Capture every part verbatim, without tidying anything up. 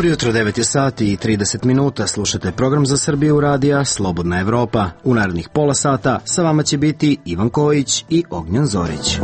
Dobro jutro, devet je sati i trideset minuta, slušate program za Srbiju radija Slobodna Evropa. U narednih pola sata sa vama će biti Ivan Kojić i Ognjen Zorić.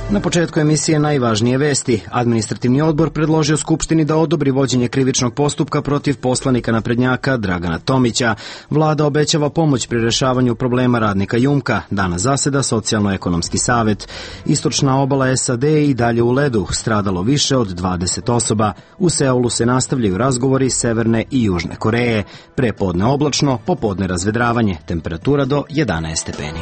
Na početku emisije najvažnije vesti. Administrativni odbor predložio Skupštini da odobri vođenje krivičnog postupka protiv poslanika naprednjaka Dragana Tomića. Vlada obećava pomoć pri rešavanju problema radnika Jumka. Danas zaseda Socijalno-ekonomski savet. Istočna obala S A D i dalje u ledu. Stradalo više od dvadeset osoba. U Seulu se nastavljaju razgovori Severne i Južne Koreje. Prepodne oblačno, popodne razvedravanje. Temperatura do jedanaest stepeni.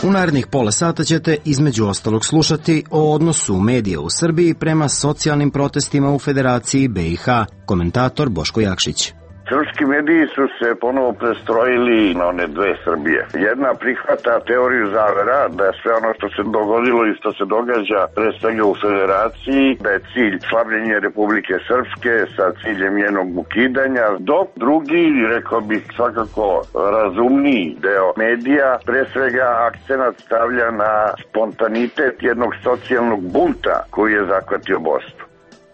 U narednih pola sata ćete između ostalog slušati o odnosu medija u Srbiji prema socijalnim protestima u Federaciji B i H. Komentator Boško Jakšić. Srpski mediji su se ponovo prestrojili na one dve Srbije. Jedna prihvata teoriju zavera da je sve ono što se dogodilo i što se događa pre svega u Federaciji, da je cilj slabljenje Republike Srpske sa ciljem njenog ukidanja, dok drugi, rekao bih svakako razumniji deo medija, pre svega akcenat stavlja na spontanitet jednog socijalnog bunta koji je zahvatio Bosnu.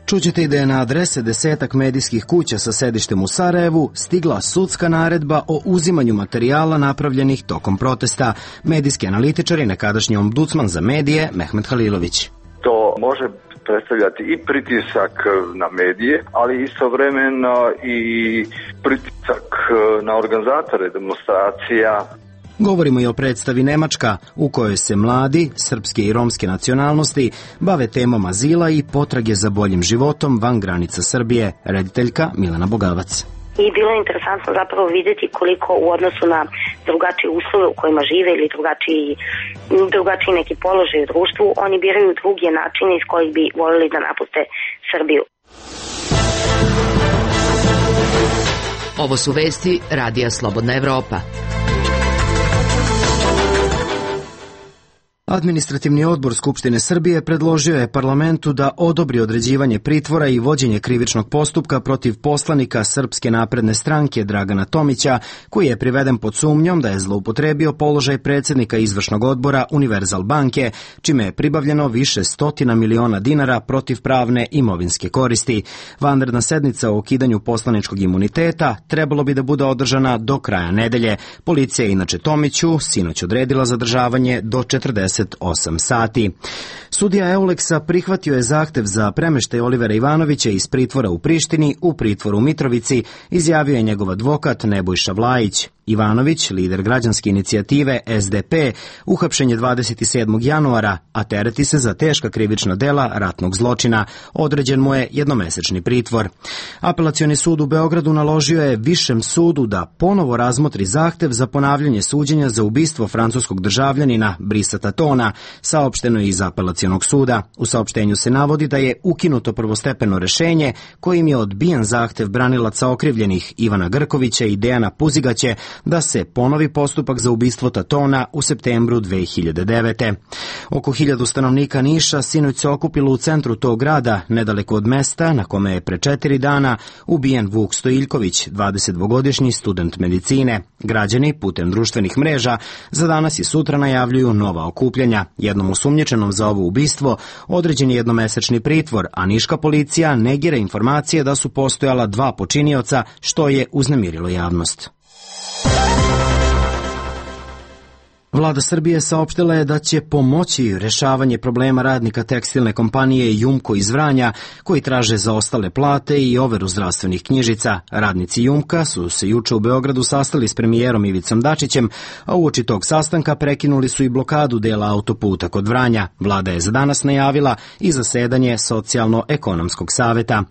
Čućete i da je na adrese desetak medijskih kuća sa sedištem u Sarajevu stigla sudska naredba o uzimanju materijala napravljenih tokom protesta. Medijski analitičar i nekadašnji ombudsman za medije Mehmet Halilović. To može predstavljati i pritisak na medije, ali istovremeno i pritisak na organizatore demonstracija. Govorimo i o predstavi Nemačka, u kojoj se mladi, srpske i romske nacionalnosti, bave temom azila i potrage za boljim životom van granica Srbije. Rediteljka Milena Bogavac. I bilo je interesantno zapravo vidjeti koliko u odnosu na drugačije uslove u kojima žive ili drugačiji, drugačiji neki položaj u društvu, oni biraju druge načine iz kojih bi voljeli da napuste Srbiju. Ovo su vesti Radija Slobodna Evropa. Administrativni odbor Skupštine Srbije predložio je parlamentu da odobri određivanje pritvora i vođenje krivičnog postupka protiv poslanika Srpske napredne stranke Dragana Tomića, koji je priveden pod sumnjom da je zloupotrebio položaj predsjednika izvršnog odbora Univerzal banke, čime je pribavljeno više stotina miliona dinara protiv pravne imovinske koristi. Vanredna sednica o ukidanju poslaničkog imuniteta trebalo bi da bude održana do kraja nedelje. Policija je inače Tomiću sinoć odredila zadržavanje do četrdeset osam sati. Sudija Euleksa prihvatio je zahtev za premeštaj Olivera Ivanovića iz pritvora u Prištini u pritvor u Mitrovici, izjavio je njegov advokat Nebojša Vlajić. Ivanović, lider građanske inicijative S D P, uhapšen je dvadeset sedmog januara, a tereti se za teška krivična dela ratnog zločina. Određen mu je jednomesečni pritvor. Apelacioni sud u Beogradu naložio je Višem sudu da ponovo razmotri zahtev za ponavljanje suđenja za ubistvo francuskog državljanina Brisa Tatona, saopšteno je iz apelacionog suda. U saopštenju se navodi da je ukinuto prvostepeno rešenje kojim je odbijen zahtev branilaca okrivljenih Ivana Grkovića i Dejana Puzigaće da se ponovi postupak za ubistvo Tatona u septembru dve hiljade devete. Oko hiljadu stanovnika Niša sinoć se okupilo u centru tog grada, nedaleko od mesta na kome je pre četiri dana ubijen Vuk Stojiljković, dvadesetdvogodišnji student medicine. Građani putem društvenih mreža za danas i sutra najavljuju nova okupljanja. Jednom osumnjičenom za ovo ubistvo određen je jednomesečni pritvor, a niška policija negira informacije da su postojala dva počinioca, što je uznemirilo javnost. Vlada Srbije saopštila je da će pomoći rešavanje problema radnika tekstilne kompanije Jumko iz Vranja, koji traže zaostale plate i overu zdravstvenih knjižica. Radnici Jumka su se juče u Beogradu sastali s premijerom Ivicom Dačićem, a uoči tog sastanka prekinuli su i blokadu dela autoputa kod Vranja. Vlada je za danas najavila i zasedanje Socijalno-ekonomskog saveta.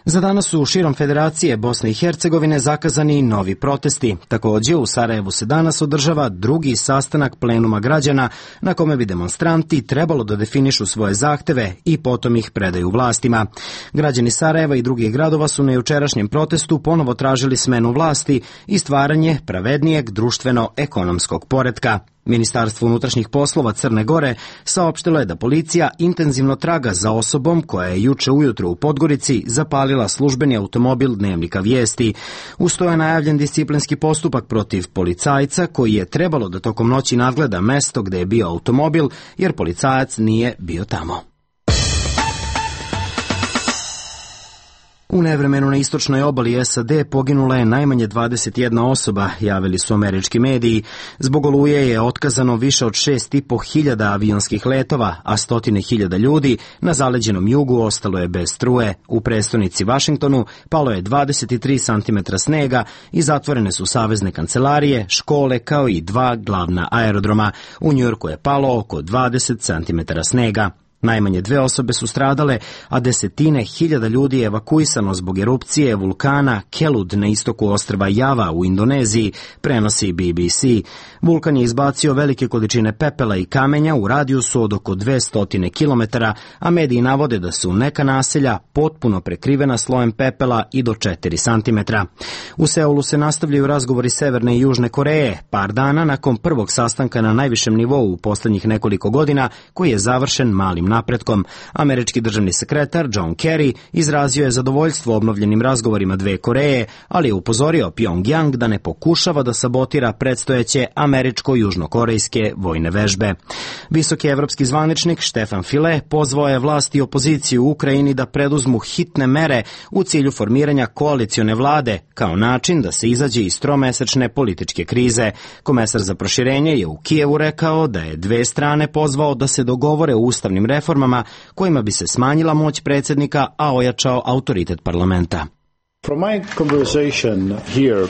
Za danas su širom Federacije Bosne i Hercegovine zakazani novi protesti. Također u Sarajevu se danas održava drugi sastanak plenuma građana na kome bi demonstranti trebalo da definišu svoje zahteve i potom ih predaju vlastima. Građani Sarajeva i drugih gradova su na jučerašnjem protestu ponovo tražili smenu vlasti i stvaranje pravednijeg društveno-ekonomskog poretka. Ministarstvo unutrašnjih poslova Crne Gore saopštilo je da policija intenzivno traga za osobom koja je juče ujutro u Podgorici zapalila službeni automobil Dnevnika Vijesti. Uz to je najavljen disciplinski postupak protiv policajca koji je trebalo da tokom noći nadgleda mesto gde je bio automobil jer policajac nije bio tamo. U nevremenu na istočnoj obali S A D poginula je najmanje dvadeset jedna osoba, javili su američki mediji. Zbog oluje je otkazano više od šest i po hiljada avionskih letova, a stotine hiljada ljudi na zaleđenom jugu ostalo je bez struje. U prestonici Vašingtonu palo je dvadeset tri santimetra snega i zatvorene su savezne kancelarije, škole kao i dva glavna aerodroma. U Njujorku je palo oko dvadeset santimetara snega. Najmanje dve osobe su stradale, a desetine hiljada ljudi je evakuisano zbog erupcije vulkana Kelud na istoku ostrva Java u Indoneziji, prenosi B B C. Vulkan je izbacio velike količine pepela i kamenja u radijusu od oko dvesta kilometara, a mediji navode da su neka naselja potpuno prekrivena slojem pepela i do četiri santimetra. U Seulu se nastavljaju razgovori Severne i Južne Koreje, par dana nakon prvog sastanka na najvišem nivou u poslednjih nekoliko godina, koji je završen malim napretkom. Američki državni sekretar John Kerry izrazio je zadovoljstvo obnovljenim razgovorima dve Koreje, ali je upozorio Pyongyang da ne pokušava da sabotira predstojeće američko-južnokorejske vojne vežbe. Visoki evropski zvaničnik Stefan File pozvao je vlast i opoziciju u Ukrajini da preduzmu hitne mere u cilju formiranja koalicione vlade kao način da se izađe iz tromesečne političke krize. Komesar za proširenje je u Kijevu rekao da je dve strane pozvao da se dogovore o ustavnim reformama kojima bi se smanjila moć predsjednika, a ojačao autoritet parlamenta. From my conversation here,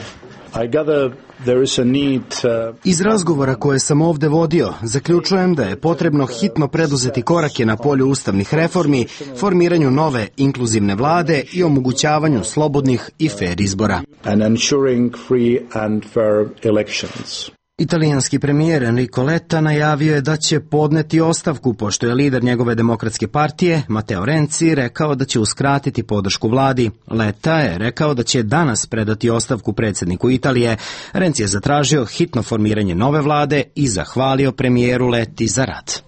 I gather there is a need, uh... Iz razgovora koje sam ovde vodio, zaključujem da je potrebno hitno preduzeti korake na polju ustavnih reformi, formiranju nove inkluzivne vlade i omogućavanju slobodnih i fair izbora. And ensuring free and fair elections. Italijanski premijer Enrico Letta najavio je da će podneti ostavku, pošto je lider njegove demokratske partije, Matteo Renzi, rekao da će uskratiti podršku vladi. Letta je rekao da će danas predati ostavku predsjedniku Italije. Renzi je zatražio hitno formiranje nove vlade i zahvalio premijeru Letti za rad.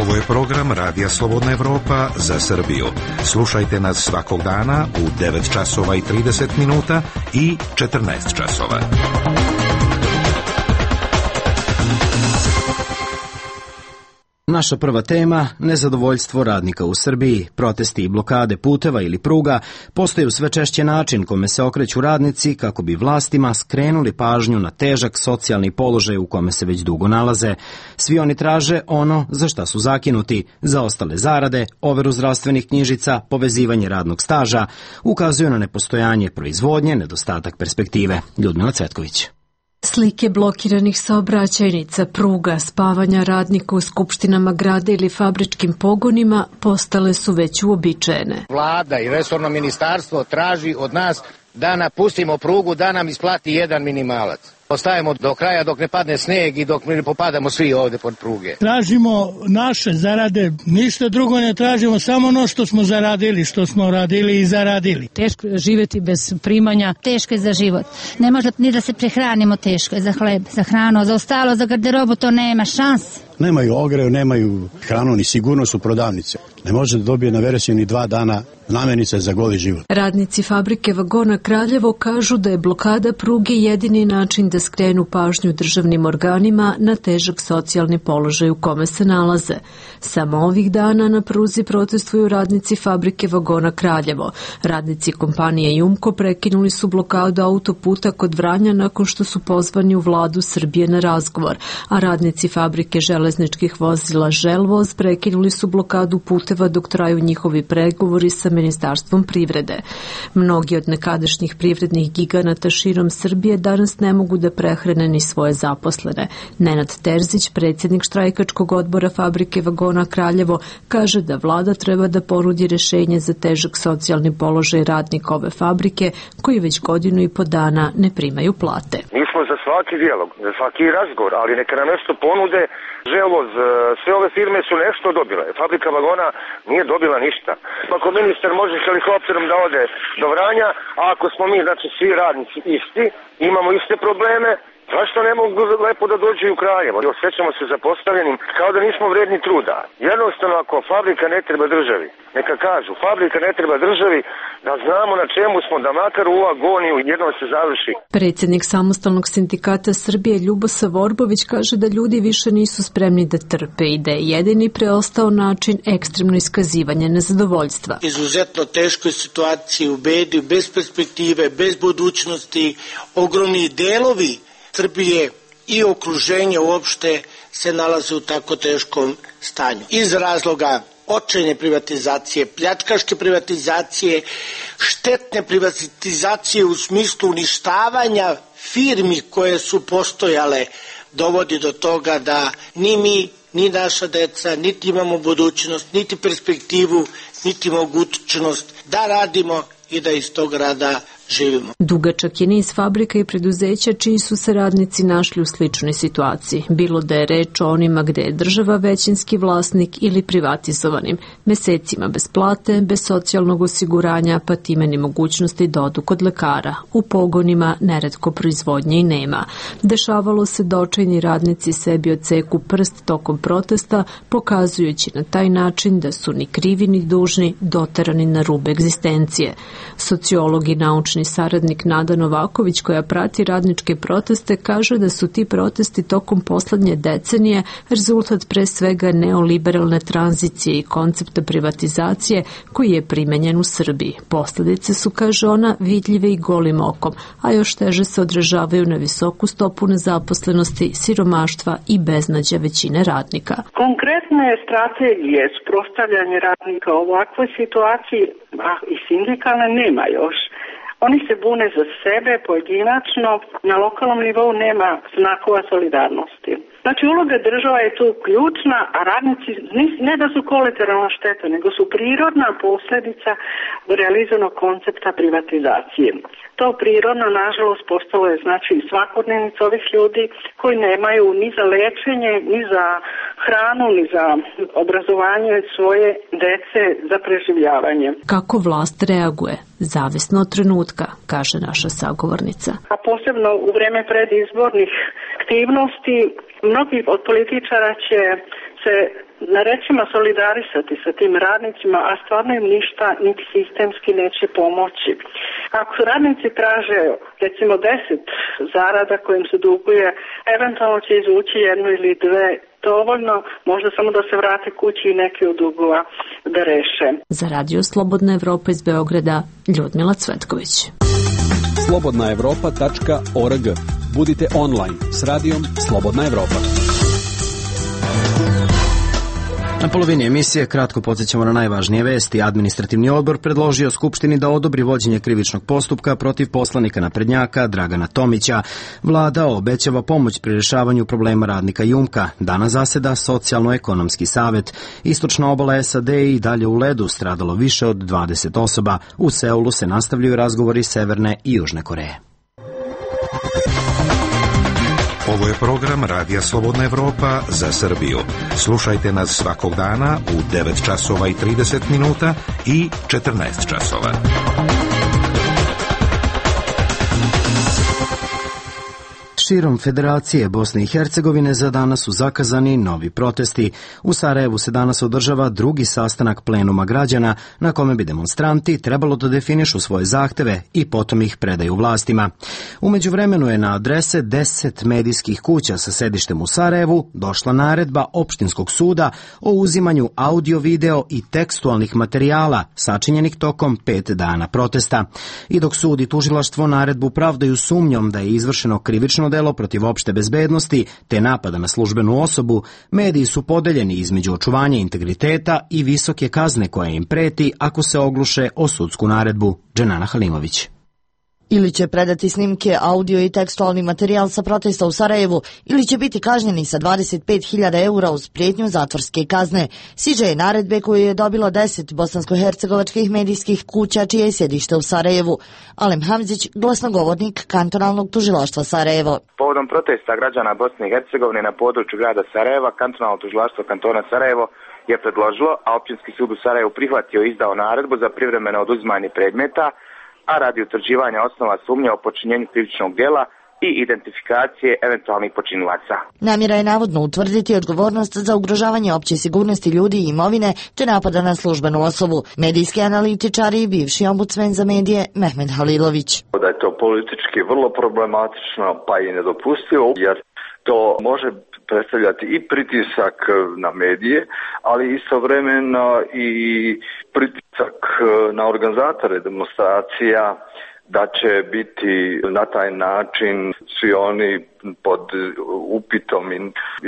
Ovo je program Radija Slobodna Evropa za Srbiju. Slušajte nas svakog dana u devet časova i trideset minuta i četrnaest časova. Naša prva tema, nezadovoljstvo radnika u Srbiji. Protesti i blokade puteva ili pruga postaju sve češće način kome se okreću radnici kako bi vlastima skrenuli pažnju na težak socijalni položaj u kome se već dugo nalaze. Svi oni traže ono za šta su zakinuti, zaostale zarade, overu zdravstvenih knjižica, povezivanje radnog staža, ukazuju na nepostojanje proizvodnje, nedostatak perspektive. Ljudmila Cvetković. Slike blokiranih saobraćajnica, pruga, spavanja radnika u skupštinama grada ili fabričkim pogonima postale su već uobičajene. Vlada i resorno ministarstvo traži od nas da napustimo prugu, da nam isplati jedan minimalac. Ostajemo do kraja dok ne padne sneg i dok ne popadamo svi ovde pod pruge. Tražimo naše zarade, ništa drugo ne tražimo, samo ono što smo zaradili, što smo radili i zaradili. Teško je živjeti bez primanja. Teško je za život. Ne može ni da se prehranimo, teško je za hleb, za hranu, za ostalo, za garderobu, to nema šanse. Nemaju ogreju, nemaju hranu, ni sigurnost u prodavnice. Ne može da dobije na veresiju ni dva dana namirnice za goli život. Radnici fabrike vagona Kraljevo kažu da je blokada pruge jedini način da skrenu pažnju državnim organima na težak socijalni položaj u kome se nalaze. Samo ovih dana na pruzi protestuju radnici fabrike vagona Kraljevo. Radnici kompanije Jumko prekinuli su blokadu autoputa kod Vranja nakon što su pozvani u vladu Srbije na razgovor, a radnici fabrike železničkih vozila Želvoz prekinuli su blokadu puteva dok traju njihovi pregovori sa Ministarstvom privrede. Mnogi od nekadašnjih privrednih giganata širom Srbije danas ne mogu da prehrane ni svoje zaposlene. Nenad Terzić, predsjednik štrajkačkog odbora fabrike vagona Kraljevo, kaže da vlada treba da ponudi rešenje za težak socijalni položaj radnika ove fabrike koji već godinu i po dana ne primaju plate. Mi smo za svaki dijalog, za svaki razgovor, ali neka nam nešto ponude. Želvoz, sve ove firme su nešto dobile. Fabrika vagona nije dobila ništa. Ako ministar može helikopterom da ode do Vranja, a ako smo mi, znači svi radnici isti, imamo iste probleme, Zašto ne mogu lepo da dođu i u Kraljevo? Osjećamo se zapostavljenim kao da nismo vredni truda. Jednostavno, ako fabrika ne treba državi, neka kažu, fabrika ne treba državi, da znamo na čemu smo, da makar u agoniju jednom se završi. Predsjednik Samostalnog sindikata Srbije Ljubosa Vorbović kaže da ljudi više nisu spremni da trpe i da je jedini preostao način ekstremno iskazivanje nezadovoljstva. Izuzetno teškoj situaciji u bedi, bez perspektive, bez budućnosti, ogromni delovi Srbije i okruženje uopšte se nalaze u tako teškom stanju. Iz razloga očajne privatizacije, pljačkaške privatizacije, štetne privatizacije u smislu uništavanja firmi koje su postojale, dovodi do toga da ni mi, ni naša deca, niti imamo budućnost, niti perspektivu, niti mogućnost da radimo i da iz tog rada živimo. Dugačak je niz fabrika i preduzeća čiji su se radnici našli u sličnoj situaciji, bilo da je reč o onima gde je država većinski vlasnik ili privatizovanim, mesecima bez plate, bez socijalnog osiguranja, pa time ni mogućnosti da odu kod lekara. U pogonima neretko proizvodnje i nema. Dešavalo se da očajni radnici sebi odseku prst tokom protesta, pokazujući na taj način da su ni krivi ni dužni doterani na rub egzistencije. Sociolog i naučni saradnik Nada Novaković, koja prati radničke proteste, kaže da su ti protesti tokom poslednje decenije rezultat pre svega neoliberalne tranzicije i koncepta privatizacije koji je primenjen u Srbiji. Posledice su, kaže ona, vidljive i golim okom, a još teže se odražavaju na visoku stopu nezaposlenosti, siromaštva i beznađa većine radnika. Konkretne strategije sprostavljanja radnika u ovakvoj situaciji, a i sindikalne nema još. Oni se bune za sebe pojedinačno, na lokalnom nivou nema znakova solidarnosti. Znači, uloga država je tu ključna, a radnici ne da su kolateralna šteta, nego su prirodna posljedica realizovanog koncepta privatizacije. To prirodno, nažalost, postalo je znači svakodnevnica ovih ljudi koji nemaju ni za lečenje, ni za hranu, ni za obrazovanje svoje dece, za preživljavanje. Kako vlast reaguje? Zavisno od trenutka, kaže naša sagovornica. A posebno u vreme predizbornih aktivnosti, mnogi od političara će se na rečima solidarisati sa tim radnicima, a stvarno im ništa niti sistemski neće pomoći. Ako radnici traže recimo deset zarada kojim se duguje, eventualno će izvući jednu ili dve, dovoljno, možda samo da se vrate kući i neki od dugova da reše. Za Radio Slobodna Evropa iz Beograda, Ljudmila Cvetković. slobodna evropa tačka org. Budite online s radijom Slobodna Evropa. Na polovini emisije kratko podsjećamo na najvažnije vesti. Administrativni odbor predložio Skupštini da odobri vođenje krivičnog postupka protiv poslanika naprednjaka Dragana Tomića. Vlada obećava pomoć pri rješavanju problema radnika Jumka. Danas zaseda Socijalno-ekonomski savet. Istočna obala S A D i dalje u ledu, stradalo više od dvadeset osoba. U Seulu se nastavljaju razgovori Severne i Južne Koreje. Ovo je program Radija Slobodna Evropa za Srbiju. Slušajte nas svakog dana u devet časova i trideset minuta i četrnaest časova. Širom Federacije Bosne i Hercegovine za danas su zakazani novi protesti. U Sarajevu se danas održava drugi sastanak plenuma građana na kome bi demonstranti trebalo da definišu svoje zahteve i potom ih predaju vlastima. U međuvremenu je na adrese deset medijskih kuća sa sedištem u Sarajevu došla naredba opštinskog suda o uzimanju audio, video i tekstualnih materijala sačinjenih tokom pet dana protesta. I dok sud i tužilaštvo naredbu pravdaju sumnjom da je izvršeno krivično delo protiv opšte bezbednosti te napada na službenu osobu, mediji su podeljeni između očuvanja integriteta i visoke kazne koja im preti ako se ogluše o sudsku naredbu. Dženana Halimović. Ili će predati snimke, audio i tekstualni materijal sa protesta u Sarajevu, ili će biti kažnjeni sa dvadeset pet hiljada eura uz prijetnju zatvorske kazne. Siđe je naredbe koju je dobilo deset bosansko-hercegovačkih medijskih kuća čije je sjedište u Sarajevu. Alem Hamzić, glasnogovornik kantonalnog tužilaštva Sarajevo. Povodom protesta građana Bosne i Hercegovine na području grada Sarajeva, kantonalno tužilaštvo kantona Sarajevo je predložilo, a općinski sud u Sarajevu prihvatio i izdao naredbu za privremeno oduzimanje predmeta, a radi utvrđivanja osnova sumnje o počinjenju krivičnog djela i identifikacije eventualnih počinilaca. Namjera je navodno utvrditi odgovornost za ugrožavanje opće sigurnosti ljudi i imovine te napada na službenu osobu. Medijski analitičar i bivši ombudsmen za medije Mehmed Halilović. Da je to politički vrlo problematično pa i nedopustivo, jer to može predstavljati i pritisak na medije, ali istovremeno i pritisak na organizatore demonstracija da će biti na taj način svi oni pod upitom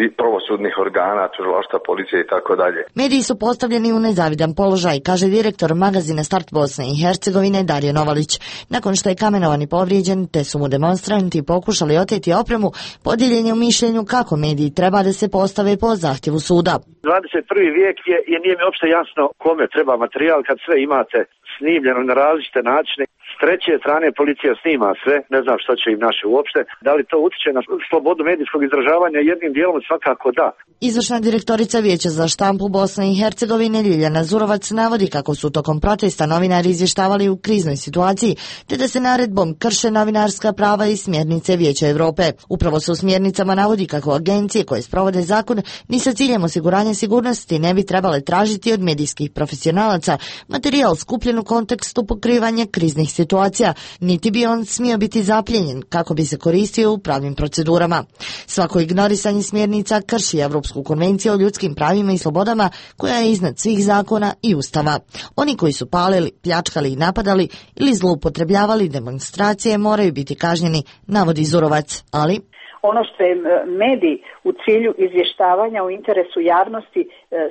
i pravosudnih organa, tužilaštva, policije i tako dalje. Mediji su postavljeni u nezavidan položaj, kaže direktor magazina Start Bosne i Hercegovine Dario Novalić. Nakon što je kamenovan i povrijeđen, te su mu demonstranti pokušali oteti opremu, podijeljen je u mišljenju kako mediji treba da se postave po zahtjevu suda. dvadeset prvi vijek je i nije mi uopšte jasno kome treba materijal kad sve imate snimljeno na različite načine. S treće strane policija snima sve, ne znam što će im naše uopšte. Da li to utiče na slobodu medijskog izražavanja? Jednim dijelom svakako da. Izvršna direktorica Vijeća za štampu Bosne i Hercegovine Ljiljana Zurovac navodi kako su tokom protesta novinari izvještavali u kriznoj situaciji, te da se naredbom krše novinarska prava i smjernice Vijeća Evrope. Upravo se u smjernicama navodi kako agencije koje sprovode zakon ni sa ciljem osiguranja sigurnosti ne bi trebale tražiti od medijskih profesionalaca materijal skupljen u kontekstu pokrivanja kriznih situacija, niti bi on smio biti zapljenjen kako bi se koristio u pravnim procedurama. Svako ignorisanje smjernica krši Evropsku konvenciju o ljudskim pravima i slobodama koja je iznad svih zakona i ustava. Oni koji su palili, pljačkali i napadali ili zloupotrebljavali demonstracije moraju biti kažnjeni, navodi Zurovac, ali ono što je medij u cilju izvještavanja u interesu javnosti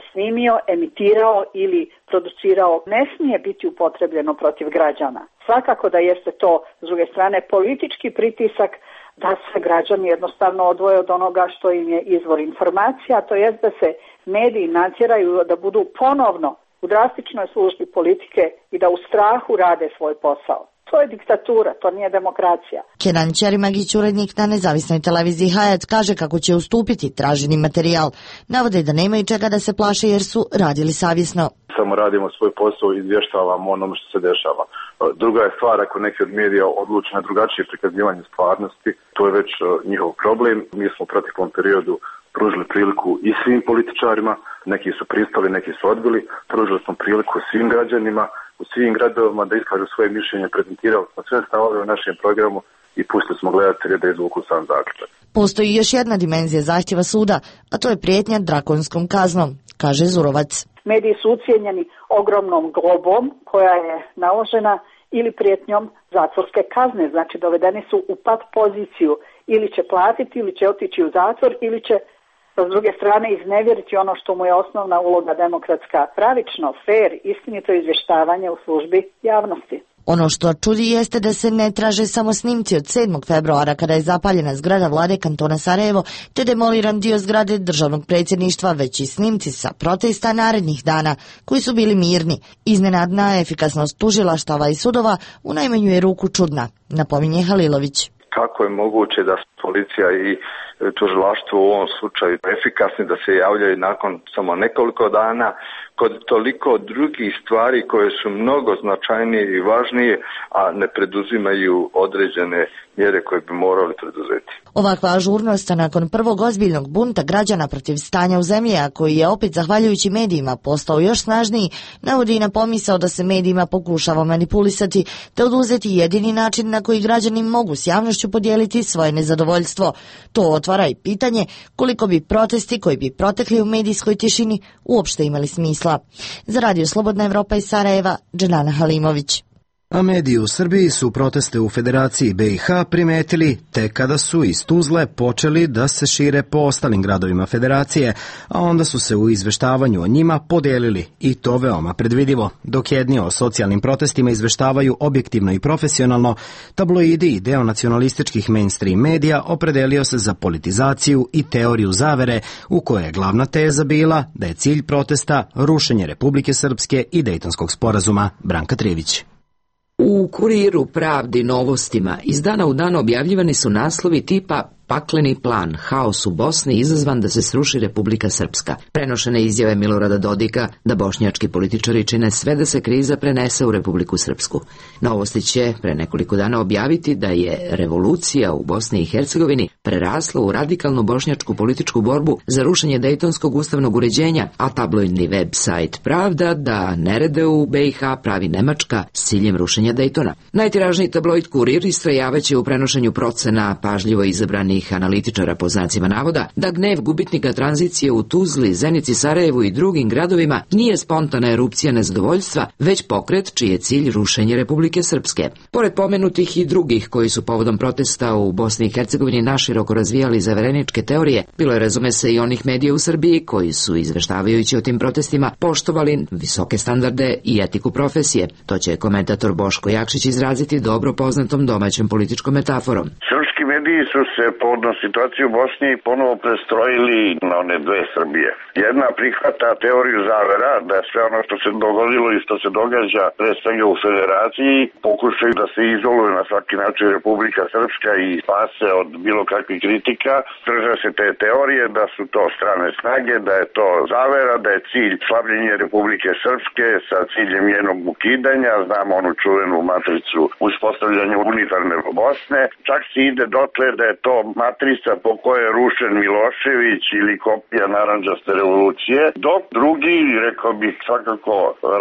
snimio, emitirao ili producirao ne smije biti upotrebljeno protiv građana. Svakako da jeste to, s druge strane, politički pritisak da se građani jednostavno odvoje od onoga što im je izvor informacija, to jest da se mediji natjeraju da budu ponovno u drastičnoj službi politike i da u strahu rade svoj posao. To je diktatura, to nije demokracija. Kenan Ćerimagić, urednik na nezavisnoj televiziji Hajac, kaže kako će ustupiti traženi materijal. Navode da nemaju čega da se plaše jer su radili savjesno. Samo radimo svoj posao i izvještavamo onome što se dešava. Druga je stvar ako neki od medija odluče na drugačije prikazivanje stvarnosti, to je već njihov problem. Mi smo u proteklom periodu pružili priliku i svim političarima, neki su pristali, neki su odbili, pružili smo priliku svim građanima u svim gradovima da iskažu svoje mišljenje, prezentirali smo sve stavove u našem programu i pustili smo gledatelje da izvuku sam zaključak. Postoji još jedna dimenzija zahtjeva suda, a to je prijetnja drakonskom kaznom, kaže Zurovac. Mediji su ucijenjeni ogromnom globom koja je naložena ili prijetnjom zatvorske kazne, znači dovedeni su u pat poziciju, ili će platiti, ili će otići u zatvor, ili će s druge strane iznevjeriti ono što mu je osnovna uloga demokratska, pravično, fair, istinito izvještavanje u službi javnosti. Ono što čudi jeste da se ne traže samo snimci od sedmog februara kada je zapaljena zgrada vlade kantona Sarajevo te demoliran dio zgrade državnog predsjedništva, već i snimci sa protesta narednih dana koji su bili mirni. Iznenadna efikasnost tužilaštava i sudova u najmanju je ruku čudna, napominje Halilović. Kako je moguće da policija i tužilaštvo u ovom slučaju efikasni, da se javljaju nakon samo nekoliko dana kod toliko drugih stvari koje su mnogo značajnije i važnije, a ne preduzimaju određene mjere koje bi morali preduzeti. Ovakva ažurnost nakon prvog ozbiljnog bunta građana protiv stanja u zemlji, a koji je opet zahvaljujući medijima postao još snažniji, navodi i na pomisao da se medijima pokušava manipulisati te oduzeti jedini način na koji građani mogu s javnošću podijeliti svoje nezadovoljstvo. To otvara i pitanje koliko bi protesti koji bi protekli u medijskoj tišini uopšte imali smisla. Za Radio Slobodna Evropa iz Sarajeva, Dženana Halimović. A mediji u Srbiji su proteste u Federaciji B i H primetili tek kada su iz Tuzle počeli da se šire po ostalim gradovima Federacije, a onda su se u izveštavanju o njima podijelili i to veoma predvidivo. Dok jedni o socijalnim protestima izveštavaju objektivno i profesionalno, tabloidi i deo nacionalističkih mainstream medija opredelio se za politizaciju i teoriju zavere u kojoj je glavna teza bila da je cilj protesta rušenje Republike Srpske i Dejtonskog sporazuma. Branka Trivić. U Kuriru, Pravdi, Novostima iz dana u dan objavljivani su naslovi tipa pakleni plan, haos u Bosni izazvan da se sruši Republika Srpska. Prenošene izjave Milorada Dodika da bošnjački političari čine sve da se kriza prenese u Republiku Srpsku. Novosti će pre nekoliko dana objaviti da je revolucija u Bosni i Hercegovini prerasla u radikalnu bošnjačku političku borbu za rušenje dejtonskog ustavnog uređenja, a tabloidni web sajt Pravda da nerede u B i H pravi Nemačka s ciljem rušenja Dejtona. Najtiražniji tabloid Kurir istrajavaće u prenošenju procena pažljivo izabranih analitičara po znacima navoda da gnev gubitnika tranzicije u Tuzli, Zenici, Sarajevu i drugim gradovima nije spontana erupcija nezadovoljstva, već pokret čiji je cilj rušenje Republike Srpske. Pored pomenutih i drugih koji su povodom protesta u Bosni i Hercegovini naširoko razvijali zavereničke teorije, bilo je razume se i onih medija u Srbiji koji su, izveštavajući o tim protestima, poštovali visoke standarde i etiku profesije. To će komentator Boško Jakšić izraziti dobro poznatom domaćom političkom metaforom. Srpski mediji su se povodom situacije u Bosni ponovo prestrojili na one dve Srbije. Jedna prihvata teoriju zavera, da je sve ono što se dogodilo i što se događa pre svega u Federaciji, pokušaju da se izoluju na svaki način Republika Srpska i spase od bilo kakvih kritika. Drže se te teorije da su to strane snage, da je to zavera, da je cilj slabljenje Republike Srpske sa ciljem njenog ukidanja. Znamo onu čuvenu matricu uspostavljanja unitarne Bosne. Čak se ide dotle da je to matrica po kojoj je rušen Milošević ili kopija narandžaste revolucije, dok drugi, rekao bih svakako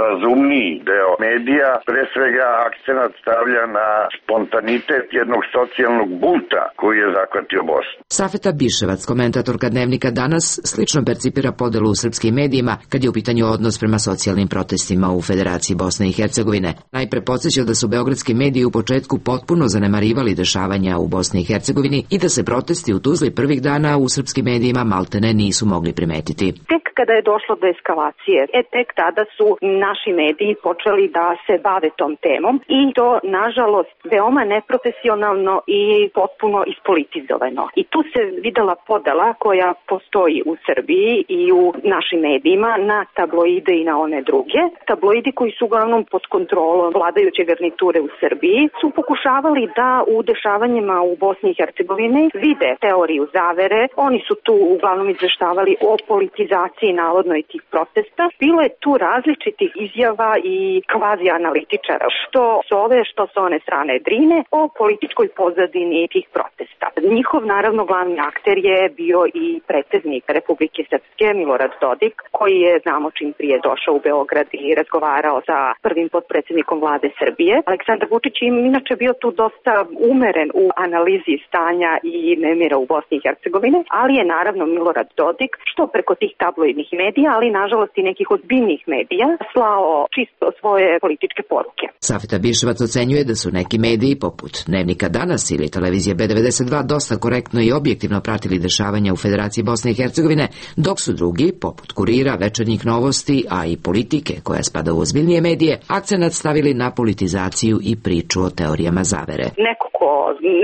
razumniji deo medija, pre svega akcenat stavlja na spontanitet jednog socijalnog bunta koji je zahvatio Bosnu. Safeta Biševac, komentatorka Dnevnika Danas, slično percipira podelu u srpskim medijima kad je u pitanju odnos prema socijalnim protestima u Federaciji Bosne i Hercegovine. Najpre podsjeća da su beogradski mediji u početku potpuno zanemarivali dešavanja u Bosni i Hercegovini i da se protesti u Tuzli prvih dana u srpskim medijima maltene nisu mogli primetiti. Tek kada je došlo do eskalacije, e tek tada su naši mediji počeli da se bave tom temom i to, nažalost, veoma neprofesionalno i potpuno ispolitizovano. I tu se videla podela koja postoji u Srbiji i u našim medijima na tabloide i na one druge. Tabloidi koji su uglavnom pod kontrolom vladajuće garniture u Srbiji su pokušavali da u dešavanjima u Bosni i Hercegovini vide teoriju zavere. Oni su tu uglavnom izveštavali o politizaciji navodnoj tih protesta. Bilo je tu različitih izjava i kvazi analitičara, što s ove, što s one strane Drine, o političkoj pozadini tih protesta. Njihov, naravno, glavni akter je bio i predsednik Republike Srpske, Milorad Dodik, koji je, znamo, čim prije došao u Beograd i razgovarao sa prvim potpredsjednikom vlade Srbije. Aleksandar Vučić je inače bio tu dosta umeren u analizi stanja i nemira u Bosni i Hercegovini, ali je naravno Milorad Dodik, što preko tih tabloidnih medija, ali nažalost i nekih ozbiljnih medija, slao čisto svoje političke poruke. Safeta Biševac ocenjuje da su neki mediji poput Dnevnika Danas ili televizije B devedeset dva dosta korektno i objektivno pratili dešavanja u Federaciji Bosne i Hercegovine, dok su drugi, poput Kurira, Večernjih novosti, a i Politike, koja spada u ozbiljnije medije, akcenat stavili na politizaciju i priču o teorijama zavere. Neko ko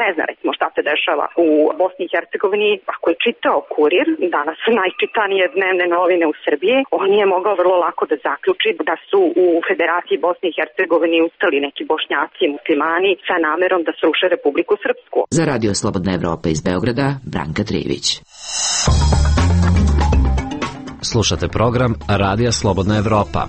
ne zna recimo šta se dešava u Bosni i Hercegovini, ako je čitao Kurir, danas su najčitanije dnevne novine u Srbiji, on je mogao vrlo lako da zaključi da su u Federaciji Bosne i Hercegovini ustali neki bošnjaci i muslimani sa namerom da sruše Republiku Srpsku. Za Radio Slobodna Evropa iz Beograda, Branka Trivić. Slušate program Radija Slobodna Evropa.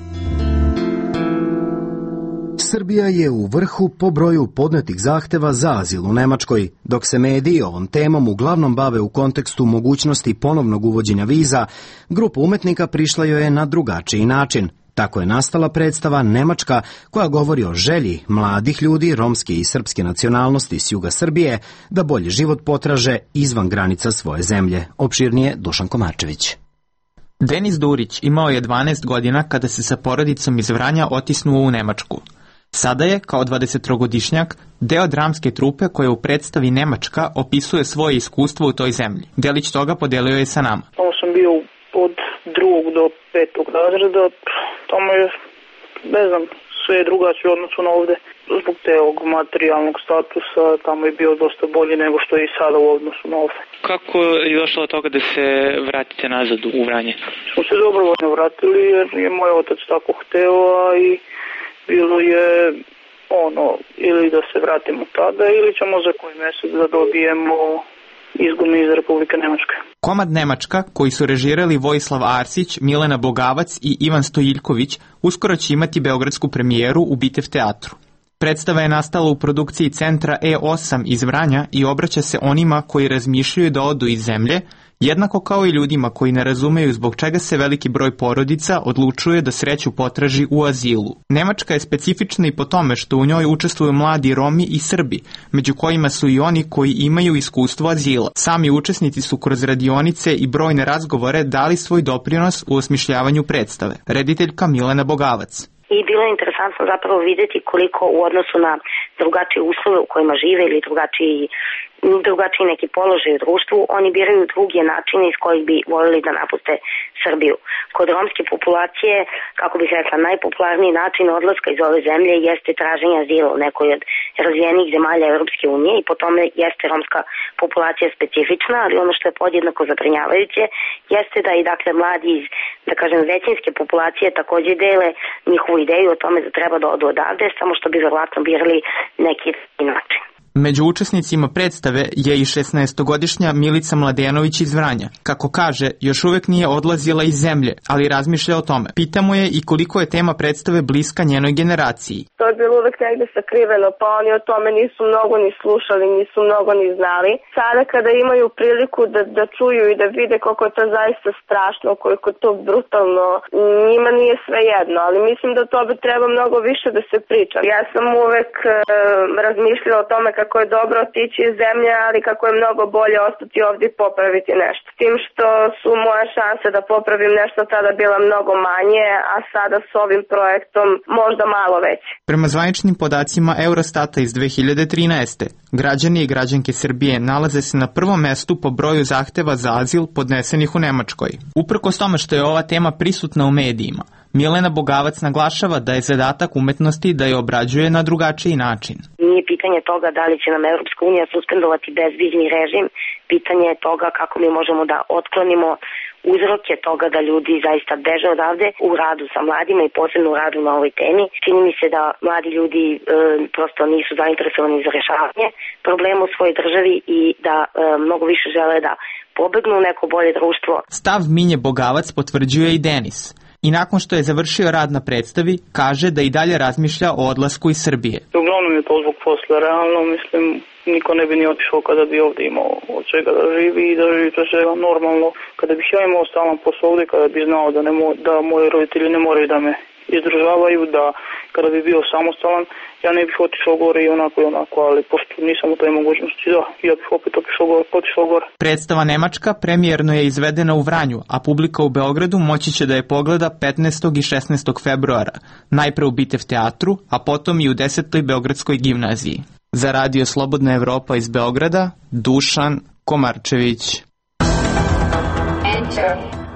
Srbija je u vrhu po broju podnetih zahteva za azil u Nemačkoj, dok se mediji ovom temom uglavnom bave u kontekstu mogućnosti ponovnog uvođenja viza, grupa umetnika prišla joj je na drugačiji način. Tako je nastala predstava Nemačka, koja govori o želji mladih ljudi romske i srpske nacionalnosti s juga Srbije da bolji život potraže izvan granica svoje zemlje. Opširnije Dušan Komarčević. Denis Durić imao je dvanaest godina kada se sa porodicom iz Vranja otisnuo u Nemačku. Sada je, kao dvadesettrogodišnjak, deo dramske trupe koja u predstavi Nemačka opisuje svoje iskustvo u toj zemlji. Delić toga podelio je sa nama. Tamo sam bio od drugog do petog razreda. Tamo je, ne znam, sve je drugačije u odnosu na ovde. Zbog tog materijalnog statusa tamo je bio dosta bolji nego što je i sada u odnosu na ovde. Kako je došlo od toga da se vratite nazad u Vranje? Smo se dobrovoljno vratili jer je moj otac tako hteo, a i bilo je ono, ili da se vratimo tada ili ćemo za koji mesec da dobijemo izgoni iz Republike Nemačke. Komad Nemačka, koji su režirali Vojislav Arsić, Milena Bogavac i Ivan Stojiljković, uskoro će imati beogradsku premijeru u Bitev teatru. Predstava je nastala u produkciji centra E osam iz Vranja i obraća se onima koji razmišljaju da odu iz zemlje, jednako kao i ljudima koji ne razumeju zbog čega se veliki broj porodica odlučuje da sreću potraži u azilu. Nemačka je specifična i po tome što u njoj učestvuju mladi Romi i Srbi, među kojima su i oni koji imaju iskustvo azila. Sami učesnici su kroz radionice i brojne razgovore dali svoj doprinos u osmišljavanju predstave. Rediteljka Milena Bogavac. I bilo je interesantno zapravo vidjeti koliko u odnosu na drugačije uslove u kojima žive ili drugačiji, drugačiji neki položaj u društvu, oni biraju druge načine iz kojih bi voljeli da napuste Srbiju. Kod romske populacije, kako bih rekla, najpopularniji način odlaska iz ove zemlje jeste traženje azila u nekoj od razvijenih zemalja Europske unije i po tome jeste romska populacija specifična, ali ono što je podjednako zabrinjavajuće jeste da i dakle mladi iz, da kažem, većinske populacije također dele njihovu ideju o tome da treba da odu odavde, samo što bi verovatno birali neki način. Među učesnicima predstave je i šesnaestogodišnja Milica Mladenović iz Vranja. Kako kaže, još uvek nije odlazila iz zemlje, ali razmišlja o tome. Pitamo je i koliko je tema predstave bliska njenoj generaciji. To je bilo uvek negde sakriveno, pa oni o tome nisu mnogo ni slušali, nisu mnogo ni znali. Sada kada imaju priliku da, da čuju i da vide koliko je to zaista strašno, koliko je to brutalno, njima nije sve jedno, ali mislim da to bi treba mnogo više da se priča. Ja sam uvek e, razmišljala o tome kako kako je dobro otići iz zemlje, ali kako je mnogo bolje ostati ovdje i popraviti nešto. Tim što su moje šanse da popravim nešto tada bila mnogo manje, a sada s ovim projektom možda malo veće. Prema zvaničnim podacima Eurostata iz dve hiljade trinaeste. građani i građanke Srbije nalaze se na prvom mestu po broju zahteva za azil podnesenih u Nemačkoj. Uprkos tome što je ova tema prisutna u medijima, Milena Bogavac naglašava da je zadatak umetnosti da je obrađuje na drugačiji način. Nije pitanje toga da li će nam Evropska unija suspendovati bezvizni režim, pitanje je toga kako mi možemo da otklonimo uzroke toga da ljudi zaista beže odavde u radu sa mladima i posebno u radu na ovoj temi. Čini mi se da mladi ljudi e, prosto nisu zainteresovani za rešavanje problema u svojoj državi i da e, mnogo više žele da pobegnu u neko bolje društvo. Stav Minje Bogavac potvrđuje i Denis. I nakon što je završio rad na predstavi, kaže da i dalje razmišlja o odlasku iz Srbije. Uglavnom je to zbog posla, realno mislim niko ne bi ni otišao kada bi ovdje imao od čega da živi i da živi to sve normalno. Kada bih ja imao stalan posao ovdje, kada bi znao da, ne mo, da moji roditelji ne moraju da me izdržavaju, da kada bi bio samostalan, ja ne bih otišao gore i onako i onako, ali pošto nisam u toj mogućnosti, da, ja bih opet otišao gore, otišao gore. Predstava Nemačka premijerno je izvedena u Vranju, a publika u Beogradu moći će da je pogleda petnaestog i šesnaestog februara, najpre u Bitev teatru, a potom i u desetoj Beogradskoj gimnaziji. Za Radio Slobodna Evropa iz Beograda, Dušan Komarčević.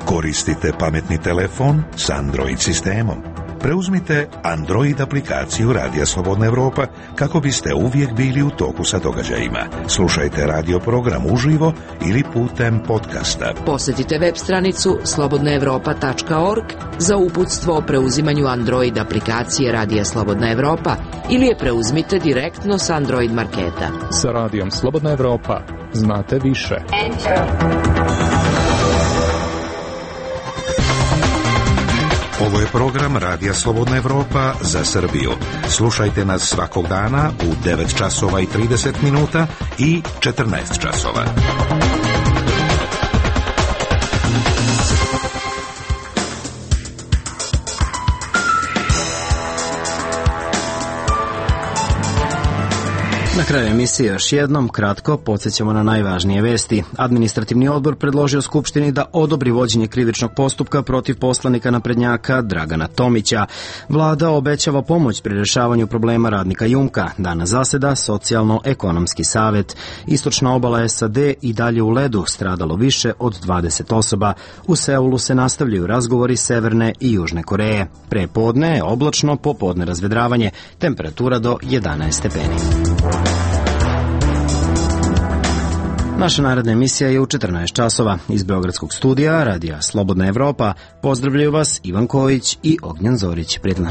Koristite pametni telefon s Android sistemom. Preuzmite Android aplikaciju Radija Slobodna Evropa kako biste uvijek bili u toku sa događajima. Slušajte radio program uživo ili putem podcasta. Posjetite web stranicu slobodna evropa tačka org za uputstvo o preuzimanju Android aplikacije Radija Slobodna Evropa ili je preuzmite direktno s Android marketa. Sa Radijom Slobodna Evropa znate više. Enter. Ovo je program Radija Slobodna Evropa za Srbiju. Slušajte nas svakog dana u devet časova i trideset minuta i četrnaest časova. Na kraju emisije još jednom, kratko, podsjećamo na najvažnije vesti. Administrativni odbor predložio Skupštini da odobri vođenje krivičnog postupka protiv poslanika naprednjaka Dragana Tomića. Vlada obećava pomoć pri rešavanju problema radnika Jumka. Danas zaseda Socijalno-ekonomski savet. Istočna obala S A D i dalje u ledu, stradalo više od dvadeset osoba. U Seulu se nastavljaju razgovori Severne i Južne Koreje. Pre podne je oblačno, popodne razvedravanje, temperatura do jedanaest stepeni. Naša naredna emisija je u četrnaest časova. Iz Beogradskog studija Radija Slobodna Evropa pozdravljaju vas Ivan Kojić i Ognjan Zorić. Prijetno.